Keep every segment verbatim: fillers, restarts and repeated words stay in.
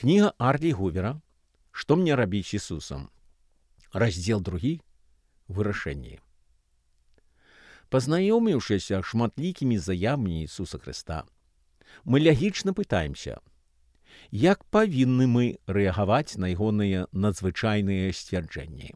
Книга Арли Гувера «Что мне рабіць з Ісусам?» Раздзел другі «Вырашэнне». Пазнаёміўшыся шматлікімі заявамі Ісуса Хрыста, мы лягічна пытаемся, як павінны мы рэагаваць на ягоныя надзвычайныя сцвярджэнні.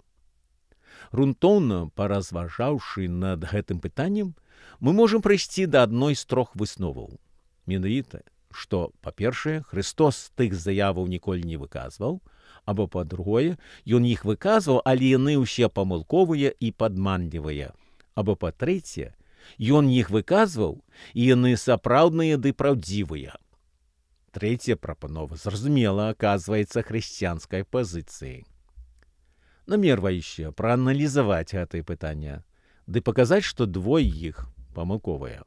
Грунтоўна паразважаўшы над гэтым пытаннем, мы можам прыйсці да адной з трох высноваў. Менавіта, што, па-першае, Хрыстос тых заяваў ніколі не выказваў, або, па-другое, ён іх выказваў, але яны ўсе памылковыя і падманлівыя, або, па-трэцяе, ён іх выказваў, і яны сапраўдныя ды праўдзівыя. Трэцяя прапанова, зразумела, аказваецца хрысціянскай пазіцыяй. Намерваючы прааналізаваць гэтае пытанне, ды паказаць, што двое іх памылковыя.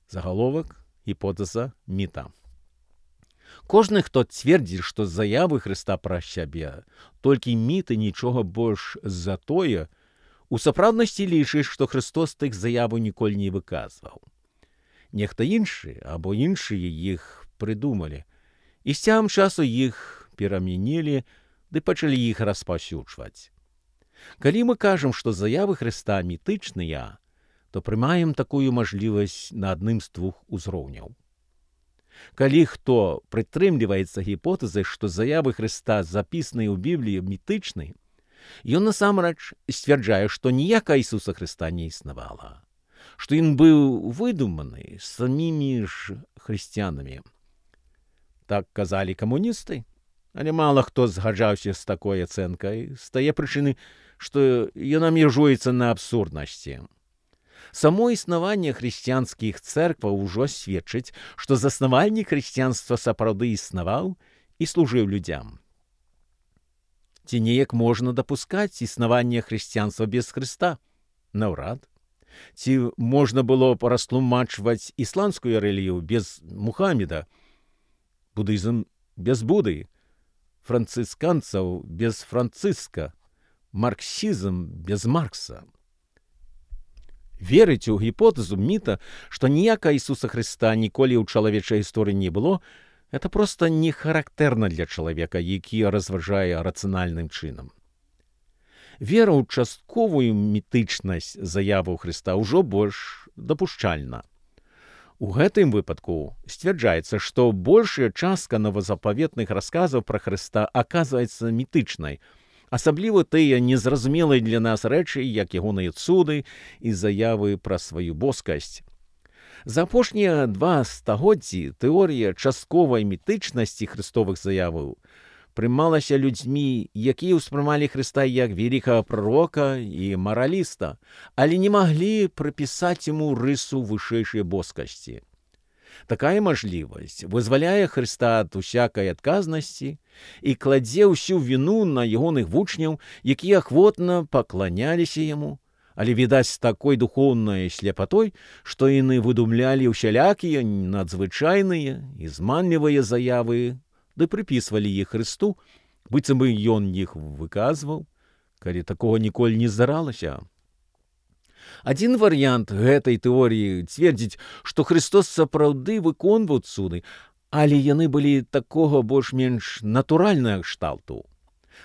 Загаловак, гіпотэза, міта. Кожны, хто цвердзіць, што заявы Хрыста пра сябе толькі міты, нічога больш за тое, у сапраўднасці лічыць, што Хрыстос тых заяваў ніколі не выказваў. Нехта іншы або іншыя іх прыдумалі, і з цягам часу іх перамянілі ды пачалі іх распаўсюджваць. Калі мы кажам, што заявы Хрыста мітычныя, то прымаем такую мажлівасць на адным з двух узроўняў. Калі хто прытрымліваецца гіпотэзай, што заявы Хрыста, запісаныя ў Бібліі, мітычныя, ён насамрэч сцвярджае, што ніякага Ісуса Хрыста не існавала, што ён быў выдуманы самімі ж хрысціянамі. Так казалі камуністы, але мала хто згаджаўся з такой ацэнкай, з тае прычыны, што яна межуецца на абсурднасці. Само існаванне хрысціянскіх цэркваў ужо сведчыць, што заснавальнік хрысціянства сапраўды існаваў і служыў людзям. Ці неяк можна дапускаць існаванне хрысціянства без Хрыста? Наўрад. Ці можна было б растлумачваць ісламскую рэлігію без Мухаммеда, будызм без Буды, францысканцаў без Францыска, марксізм без Маркса? Верыць у гіпотэзу міта, што ніякага Ісуса Хрыста ніколі ў чалавечай гісторыі не было, гэта проста не характэрна для чалавека, які разважае рацыянальным чынам. Вера ў частковую мітычнасць заяваў Хрыста ўжо больш дапушчальна. У гэтым выпадку сцвярджаецца, што большая частка новазапаветных расказаў пра Хрыста аказваецца мітычнай, асабліва тыя незразумелыя для нас рэчы, як ягоныя цуды і заявы пра сваю боскасць. За апошнія два стагоддзі тэорыя частковай мітычнасці хрыстовых заяваў прымалася людзьмі, якія ўспрымалі Хрыста як вялікага прарока і мараліста, але не маглі прыпісаць яму рысу вышэйшай боскасці. Такая мажлівасць вызваляе Хрыста ад усякай адказнасці і кладзе ўсю віну на ягоных вучняў, якія ахвотна пакланяліся яму, але, відаць, з такой духоўнай сляпатой, што яны выдумлялі ўсялякія надзвычайныя і зманлівыя заявы, ды прыпісвалі іх Хрысту, быццам бы ён іх выказваў, калі такога ніколі не здаралася. Адзін варыянт гэтай тэорыі цвердзіць, што Хрыстос сапраўды выконваў цуды, але яны былі такога больш-менш натуральнага кшталту.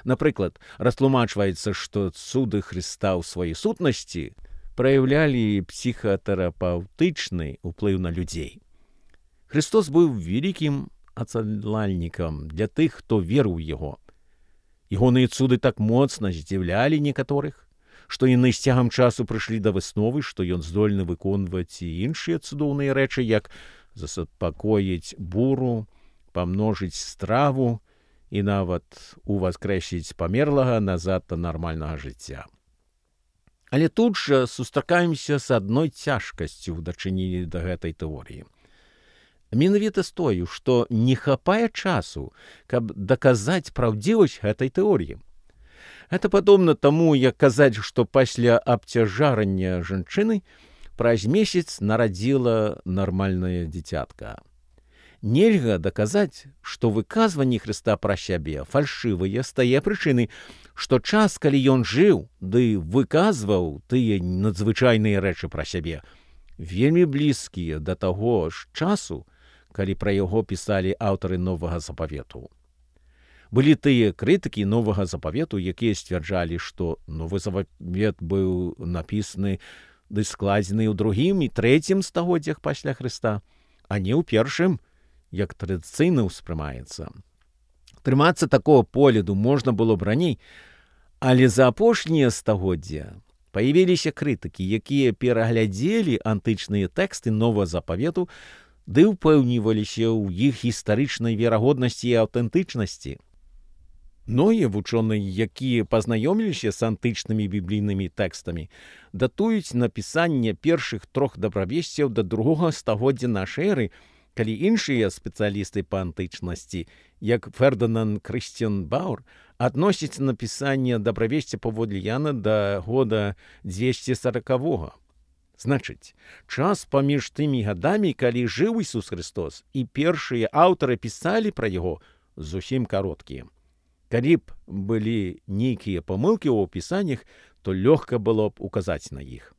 Напрыклад, растлумачваецца, што цуды Хрыста ў сваёй сутнасці праяўлялі псіхатэрапаўтычны ўплыў на людзей. Хрыстос быў вялікім ацалальнікам для тых, хто верыў у яго. Ягоныя цуды так моцна здзіўлялі некаторых, што яны з цягам часу прыйшлі да высновы, што ён здольны выконваць і іншыя цудоўныя рэчы, як засупакоіць буру, памножыць страву і нават уваскрэсіць памерлага назад да нармальнага жыцця. Але тут жа сустракаемся з адной цяжкасцю ў дачыненні да гэтай тэорыі. Менавіта з тою, што не хапае часу, каб даказаць праўдзівасць гэтай тэорыі. Гэта падобна таму, як казаць, што пасля абцяжарання жанчыны праз месяц нарадзіла нармальнае дзіцятка. Нельга даказаць, што выказванні Хрыста пра сябе фальшывыя з тае прычыны, што час, калі ён жыў, ды выказваў тыя надзвычайныя рэчы пра сябе, вельмі блізкія да таго ж часу, калі пра яго пісалі аўтары новага запавету. Былі тыя крытыкі новага запавету, якія сцвярджалі, што новы запавет быў напісаны ды складзены ў другім і трэцім стагоддзях пасля Хрыста, а не ў першым, як традыцыйна ўспрымаецца. Трымацца такого погляду можна было б раней, але за апошнія стагоддзя паявіліся крытыкі, якія пераглядзелі антычныя тэксты новага запавету ды ўпэўніваліся ў іх гістарычнай верагоднасці і аўтэнтычнасці. Многія вучоныя, якія пазнаёміліся з антычнымі біблійнымі тэкстамі, датуюць напісанне першых трох дабравесцяў да другога стагоддзя нашай эры, калі іншыя спецыялісты па антычнасці, як Фердынанд Крысціян Баур, адносяць напісанне дабравесця паводле Яна да года дзвесце сорокавога. Значыць, час паміж тымі гадамі, калі жыў Ісус Христос, і першыя аўтары пісалі пра яго, зусім кароткія. Калі б былі нейкія памылкі ў опісаннях, то лёгка было б указаць на іх.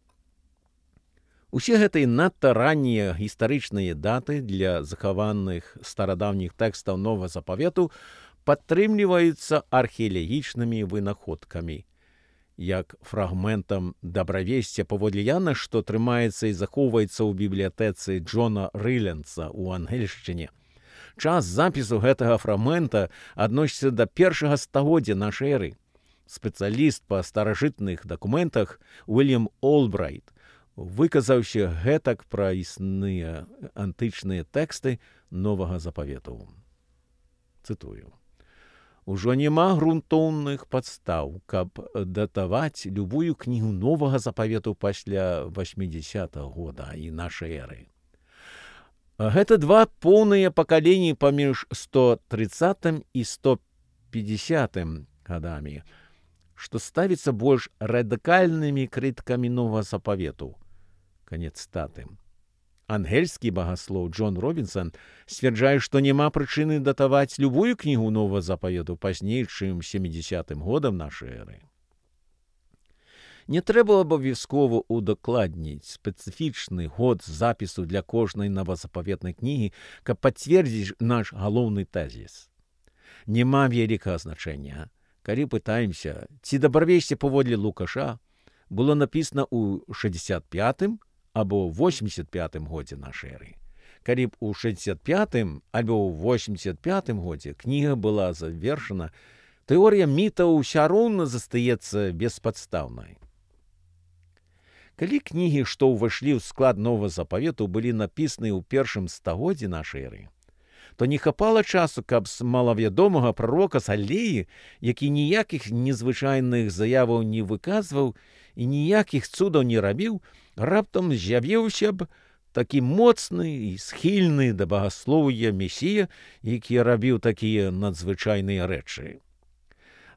Усе гэтыя надта раннія гістарычныя даты для захаваных старадаўніх тэкстаў новага запавету падтрымліваюцца археалагічнымі вынаходкамі, як фрагментам дабравесця паводле Яна, што трымаецца і захоўваецца ў бібліятэцы Джона Рыленса ў ангельшчыне. Час запісу гэтага фрагмента адносіцца да першага стагоддзя нашай эры. Спецыяліст па старажытных дакументах Уільям Олбрайт выказаўся гэтак пра існыя антычныя тэксты новага запавету. Цытую. Ужо няма грунтоўных падстаў, каб датаваць любую кнігу новага запавету пасля восьмідзесятага года і нашай эры. Гэта два поўныя пакаленні паміж сто трыццатым і сто пятьдесятым гадамі, што ставіцца больш радыкальнымі крытыкамі новага запавету. Канец цытаты. Ангельскі багаслоў Джон Робінсон сцвярджае, што няма прычыны датаваць любую кнігу новага запавету пазней, чым сямідзесятым годам нашай эры. Не трэба абавязкова удакладніць спецыфічны год запісу для кожнай новазапаветнай кнігі, каб пацвердзіць наш галоўны тэзіс. Няма вялікага значэння, калі пытаемся, ці дабравесце паводле Лукаша было напісана ў шэсцьдзесят пятым або восемьдесят пятым годзе нашай эры. Калі б у шэсцьдзесят пятым або ў восемьдесят пятым годзе кніга была завершана, тэорыя мітаў ўсё роўна застаецца беспадстаўнай. Калі кнігі, што ўвайшлі ў склад новага запавету, былі напісаны ў першым стагоддзі нашай эры, то не хапала часу, каб з малавядомага прарока Салеі, які ніякіх незвычайных заяваў не выказваў і ніякіх цудаў не рабіў, раптам з'явіўся б такі моцны і схільны да багаслоўя месія, які рабіў такія надзвычайныя рэчы.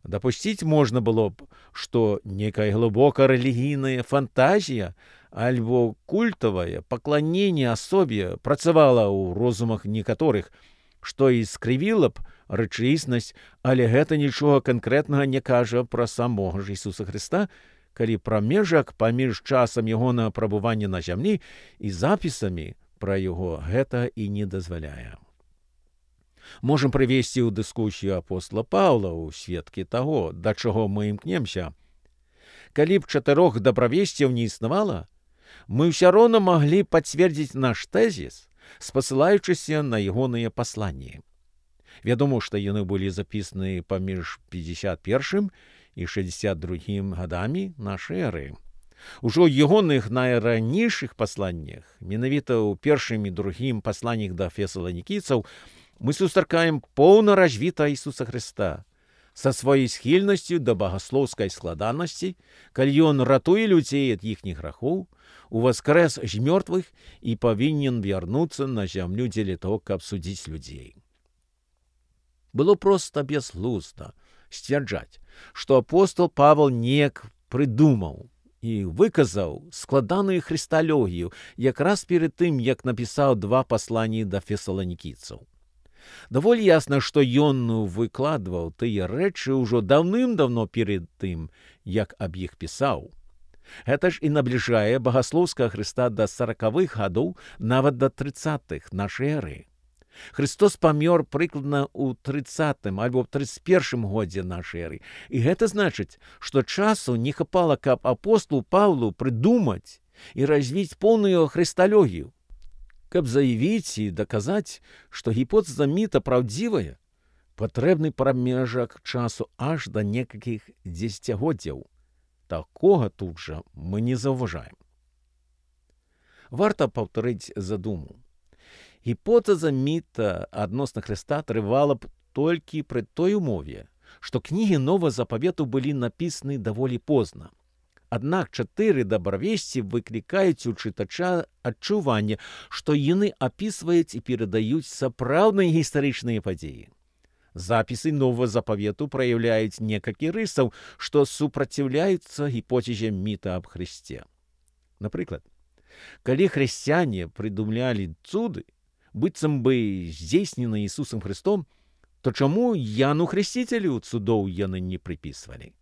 Дапусціць можна было б, што некая глыбока рэлігійная фантазія альбо культавае пакланенне асобе працавала ў розумах некаторых, што і скрывіла б рэчаіснасць, але гэта нічога канкрэтнага не кажа пра самога ж Ісуса Хрыста, калі прамежак паміж часам ягонага прабывання на зямлі і запісамі пра яго гэта і не дазваляе. Можам прывесці ў дыскусію апостола Паўла ў сведкі таго, да чаго мы імкнемся. Калі б чатырох дабравесцяў не існавала, мы ўсё роўна маглі пацвердзіць наш тэзіс, спасылаючыся на ягоныя пасланні. Вядома, што яны былі запісаны паміж пятьдесят первым і шэсцьдесят другім гадамі нашай эры. Ужо ў ягоных найранейшых пасланнях, менавіта ў першым і другім пасланнях да фесаланікійцаў, мы сустракаем поўна развіта Ісуса Хрыста са сваёй схільнасцю да багаслоўскай складанасці, калі ён ратуе людзей ад іхніх грахоў, уваскрэс з мёртвых і павінен вярнуцца на зямлю дзеля таго, каб судзіць людзей. Было проста бязглузда сцвярджаць, што апостол Павел неяк прыдумаў і выказаў складаную хрысталогію якраз перад тым, як напісаў два пасланні да фесаланікійцаў. Даволі ясна, што ён выкладваў тыя рэчы ўжо даўным-даўно перед тым, як аб іх пісаў. Гэта ж і набліжае багаслоўскага Хрыста да саракавых гадоў, нават да трыццатых нашай эры. Христос памёр прыкладна ў трыццатым альбо трыццаць першым годзе нашай эры. І гэта значыць, што часу не хапала, каб апостолу Паўлу прыдумаць і развіць поўную хрысталогію. Каб заявіць і даказаць, што гіпотэза міта праўдзівая, патрэбны прамежак часу аж да некалькіх дзесяцігоддзяў. Такога тут жа мы не заўважаем. Варта паўтарыць задуму. Гіпотэза міта адносна Хрыста трывала б толькі пры той умове, што кнігі Новага Запавету былі напісаны даволі позна. Аднак чатыры дабравесці выклікаюць у чытача адчуванне, што яны апісваюць і перадаюць сапраўдныя гістарычныя падзеі. Запісы Новага Запавету праяўляюць некалькі рысаў, што супраціўляюцца гіпотэзе міта аб Хрысце. Напрыклад, калі хрысціяне прыдумлялі цуды, быццам бы здзейснены Ісусам Христом, то чаму Яну Хрысціцелю цудоў яны не прыпісвалі?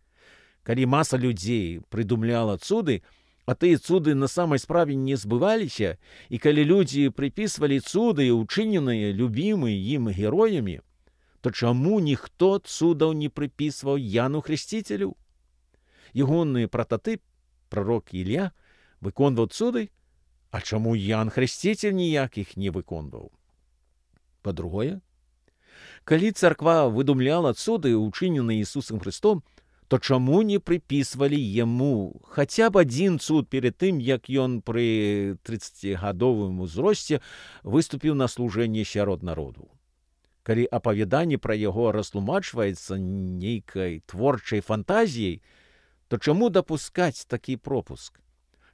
Калі маса людзей прыдумляла цуды, а тыя цуды на самай справе не збываліся, і калі людзі прыпісвалі цуды, учыненыя любімы ім героямі, то чаму ніхто цудаў не прыпісваў Яну Хрысціцелю? Ягоны прататып, прарок Ілля, выконваў цуды, а чаму Ян Хрысціцель ніякіх не выконваў? Па-другое, калі царква выдумляла цуды, учыненыя Ісусам Христом, то чаму не прыпісвалі яму хаця б адзін цуд перад тым, як ён пры трыццацігадовым узросце выступіў на служэнне сярод народу? Калі апавяданне пра яго растлумачваецца нейкай творчай фантазіяй, то чаму дапускаць такі пропуск?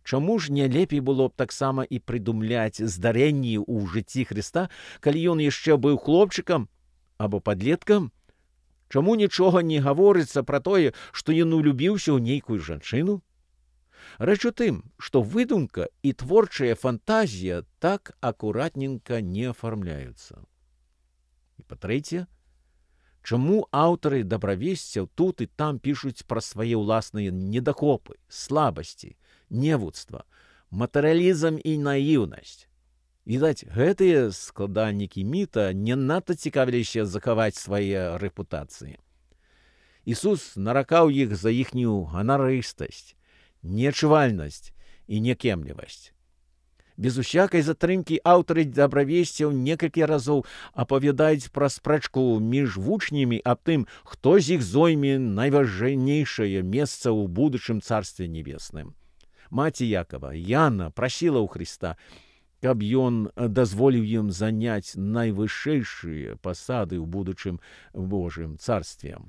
Чаму ж не лепей было б таксама і прыдумляць здарэнні ў жыцці Хрыста, калі ён яшчэ быў хлопчыкам або падлеткам? Чаму нічога не гаворыцца пра тое, што ён улюбіўся ў нейкую жанчыну? Рэч у тым, што выдумка і творчая фантазія так акуратненька не афармляюцца. І па-трэцяе, чаму аўтары дабравесцяў тут і там пішуць пра свае ўласныя недахопы, слабасці, невуцтва, матэрыялізм і наіўнасць? Відаць, гэтыя складальнікі міта не надта цікавіліся захаваць свае рэпутацыі. Ісус наракаў іх за іхнюю ганарыстасць, неадчувальнасць і някемлівасць. Без усякай затрымкі аўтары дабравесцяў некалькі разоў апавядаюць пра спрэчку між вучнямі аб тым, хто з іх зойме найважнейшае месца ў будучым царстве небесным. Маці Якова, Яна, прасіла ў Хрыста, каб ён дазволіў ім заняць найвышэйшыя пасады ў будучым Божым царстве.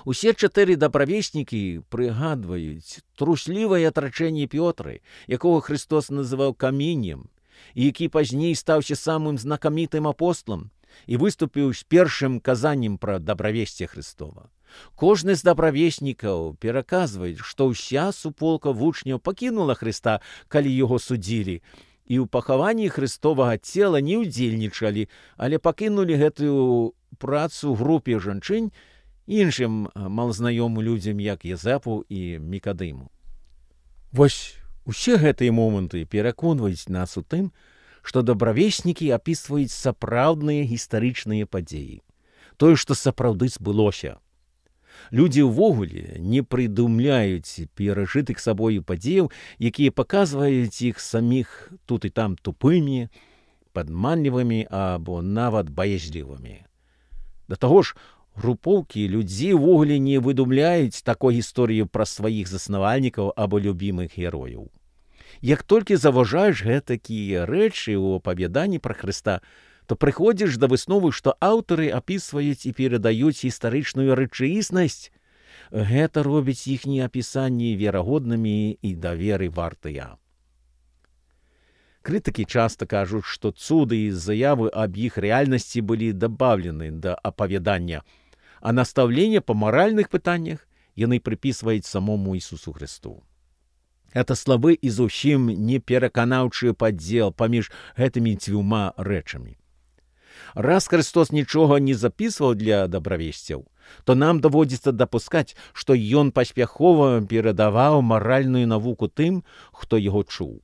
Усе чатыры дабравеснікі прыгадваюць труслівае атрачэнне Пётры, якога Христос называў каменем, і які пазней стаўся самым знакамітым апосталам і выступіў з першым казаннем пра дабравесце Христова. Кожны з дабравеснікаў пераказвае, што ўся суполка вучняў пакінула Хрыста, калі яго судзілі, і ў пахаванні Христовага цела не ўдзельнічалі, але пакінулі гэтую працу групе жанчынь іншым малазнаёмым людзям, як Язэпу і Мікадыму. Вось усе гэтыя моманты пераконваюць нас у тым, што дабравеснікі апісваюць сапраўдныя гістарычныя падзеі, тое, што сапраўды збылося. Людзі ўвогуле не прыдумляюць перажытых сабою падзеяў, якія паказваюць іх саміх тут і там тупымі, падманлівымі або нават баязлівымі. Да таго ж, групоўкі людзей увогуле не выдумляюць такой гісторыі пра сваіх заснавальнікаў або любімых герояў. Як толькі заўважаеш гэтакія рэчы ў апавяданні пра Хрыста, то прыходзіш да высновы, што аўтары апісваюць і перадаюць гістарычную рэчаіснасць. Гэта робіць іхнія апісанні верагоднымі і даверы вартыя. Крытыкі часта кажуць, што цуды і заявы аб іх рэальнасці былі дабаўлены да апавядання, а настаўленне па маральных пытаннях яны прыпісваюць самому Ісусу Христу. Гэта слабы і зусім непераканаўчы падзел паміж гэтымі дзвюма рэчамі. Раз Христос нічога не запісваў для дабравесцяў, то нам даводзіцца дапускаць, што ён паспяхова перадаваў маральную навуку тым, хто яго чуў.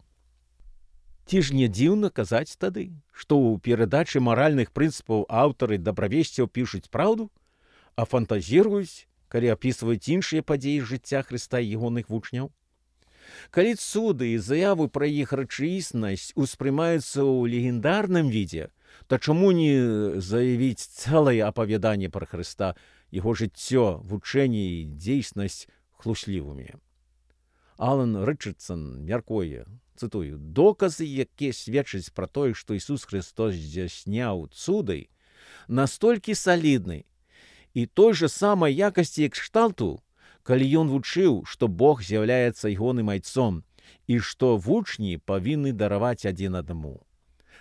Ці ж не дзіўна казаць тады, што ў перадачы маральных прынцыпаў аўтары дабравесцяў пішуць праўду, а фантазіруюць, калі апісваюць іншыя падзеі жыцця Хрыста і ягоных вучняў? Калі цуды і заявы пра іх рэчаіснасць успрымаюцца ў легендарным відзе, то чаму не заявіць цэлае апавяданне пра Хрыста, яго жыццё, вучэнне і дзейснасць хлуслівымі? Алан Рычардсон мяркуе, цытую, «Доказы, якія сведчаць пра тое, што Ісус Христос здзяйсняў цуды, настолькі салідны і той жа самай якасці і кшталту, калі ён вучыў, што Бог з'яўляецца ягоным айцом і што вучні павінны дараваць адзін аднаму.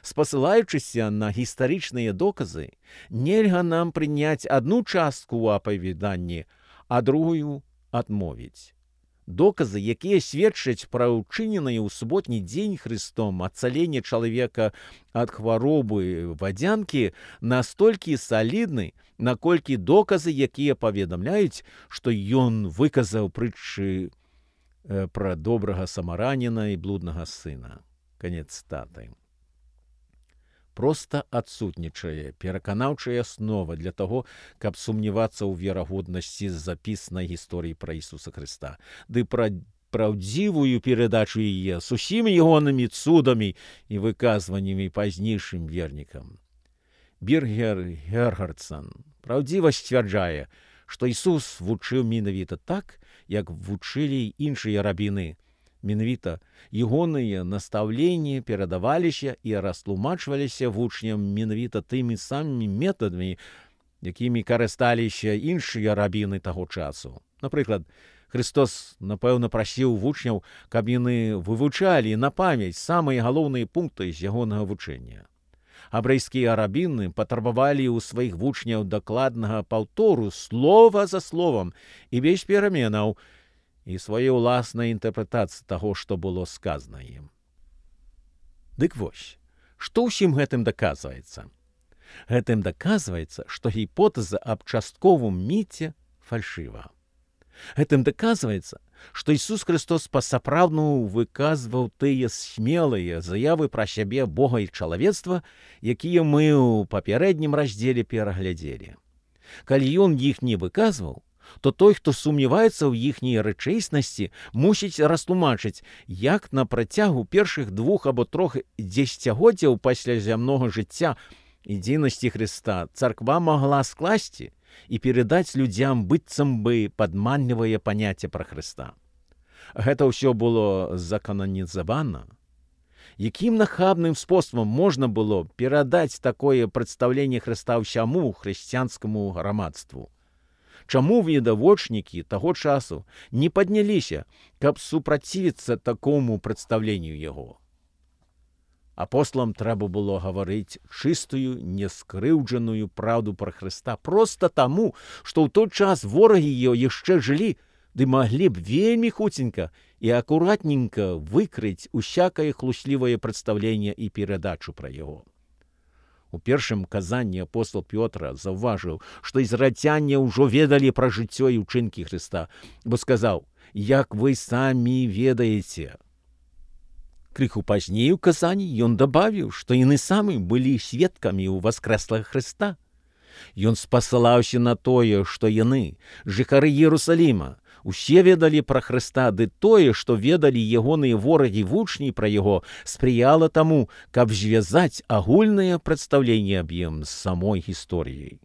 Спасылаючыся на гістарычныя доказы, нельга нам прыняць адну частку ў апавяданні, а другую адмовіць. Доказы, якія сведчаць пра ўчыненае ў суботні дзень Христом ацаленне чалавека ад хваробы вадзянкі, настолькі салідны, наколькі доказы, якія паведамляюць, што ён выказаў прытчы э, пра добрага самараніна і блуднага сына. Канец цытаты. Проста адсутнічае пераканаўчая аснова для таго, каб сумнявацца ў верагоднасці запіснай гісторыі пра Ісуса Хрыста, ды пра праўдзівую перадачу яе з усімі ягонымі цудамі і выказваннямі пазнейшым вернікам. Біргер Гергардсон праўдзіва сцвярджае, што Ісус вучыў менавіта так, як вучылі іншыя рабіны. Менавіта ягоныя настаўленні перадаваліся і растлумачваліся вучням менавіта тымі самымі метадамі, якімі карысталіся іншыя рабіны таго часу. Напрыклад, Христос, напэўна, прасіў вучняў, каб яны вывучалі на памяць самыя галоўныя пункты з ягонага вучэння. Абрэйскія рабіны патрабавалі ў сваіх вучняў дакладнага паўтору слова за словам і без пераменаў, і свае ўласнай інтэрпрэтацыі таго, што было сказана ім. Дык вось, што ўсім гэтым даказваецца? Гэтым даказваецца, што гіпотэза аб частковым міце фальшыва. Гэтым даказваецца, што Ісус Христос па-сапраўднаму выказваў тыя смелыя заявы пра сябе, Бога і чалавецтва, якія мы ў папярэднім раздзеле пераглядзелі. Калі ён іх не выказваў, то той, хто сумняваецца ў іхняй рэчаіснасці, мусіць растлумачыць, як на працягу першых двух або трох дзесяцігоддзяў пасля зямнога жыцця і дзейнасці Хрыста царква магла скласці і перадаць людзям быццам бы падманлівае паняцце пра Хрыста. Гэта ўсё было закананізавана. Якім нахабным спосабам можна было перадаць такое прадстаўленне Хрыста ўсяму хрысціянскаму грамадству? Чаму відавочнікі таго часу не падняліся, каб супрацівіцца такому прадстаўленню яго? Апосталам трэба было гаварыць чыстую, нескрыўджаную праўду пра Хрыста проста таму, што ў той час ворагі яго яшчэ жылі, ды маглі б вельмі хуценька і акуратненька выкрыць усякае хлуслівае прадстаўленне і перадачу пра яго. У першым казанні апостал Пётра заўважыў, што ізраільцяне ўжо ведалі пра жыццё і ўчынкі Хрыста, бо сказаў, як вы самі ведаеце. Крыху пазней у казанні ён дабавіў, што яны самі былі сведкамі ў воскрэслага Хрыста. Ён спасылаўся на тое, што яны, жыхары Іерусаліма, усе ведалі пра Хрыста, ды тое, што ведалі ягоныя ворагі вучні пра яго, спрыяла таму, каб звязаць агульнае прадстаўленне аб ім з самой гісторыяй.